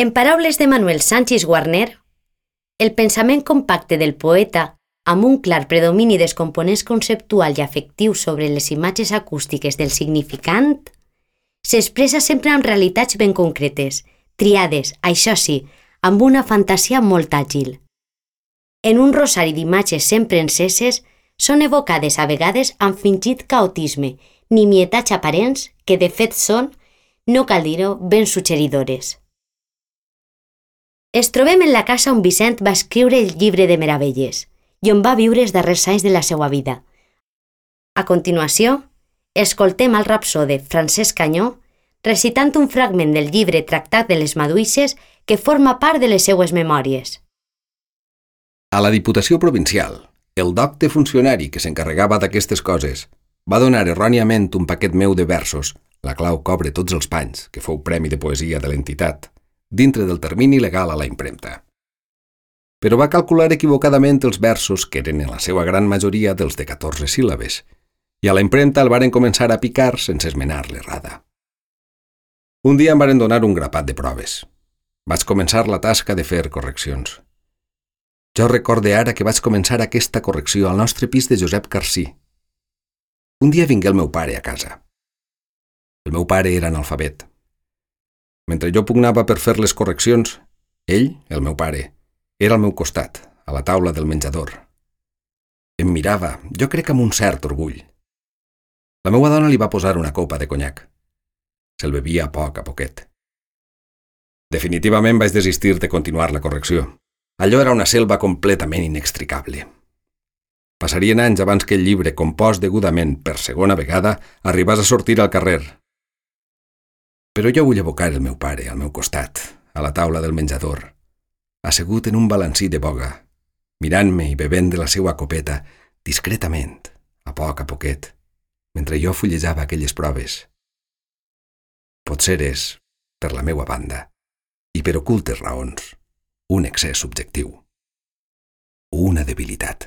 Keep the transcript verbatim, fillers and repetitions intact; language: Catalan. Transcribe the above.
En paraules de Manuel Sanchis Guarner, el pensament compacte del poeta, amb un clar predomini dels components conceptual i afectiu sobre les imatges acústiques del significant, s'expressa sempre amb realitats ben concretes, triades, això sí, amb una fantasia molt àgil. En un rosari d'imatges sempre enceses, són evocades a vegades amb fingit caotisme, nimietats aparents que de fet són, no cal dir-ho, ben suggeridores. Es trobem en la casa on Vicent va escriure el llibre de meravelles i on va viure els darrers anys de la seva vida. A continuació, escoltem al rapsode Francesc Canyó recitant un fragment del llibre Tractat de les Maduixes que forma part de les seues memòries. A la Diputació Provincial, el docte funcionari que s'encarregava d'aquestes coses va donar erròniament un paquet meu de versos, la clau cobre tots els panys, que fou premi de poesia de l'entitat, dintre del termini legal a la impremta. Però va calcular equivocadament els versos, que eren en la seva gran majoria dels de catorze síl·labes, i a la impremta el varen començar a picar sense esmenar l'errada. Un dia em varen donar un grapat de proves. Vaig començar la tasca de fer correccions. Jo recorde ara que vaig començar aquesta correcció al nostre pis de Josep Carcí. Un dia vingué el meu pare a casa. El meu pare era analfabet. Mentre jo pugnava per fer les correccions, ell, el meu pare, era al meu costat, a la taula del menjador. Em mirava, jo crec amb un cert orgull. La meua dona li va posar una copa de conyac. Se'l bevia a poc a poquet. Definitivament vaig desistir de continuar la correcció. Allò era una selva completament inextricable. Passarien anys abans que el llibre, compost degudament per segona vegada, arribés a sortir al carrer. Però jo vull evocar el meu pare al meu costat, a la taula del menjador, assegut en un balancí de boga, mirant-me i bevent de la seua copeta, discretament, a poc a poquet, mentre jo fullejava aquelles proves. Potser és, per la meua banda, i per ocultes raons, un excés subjectiu, una debilitat.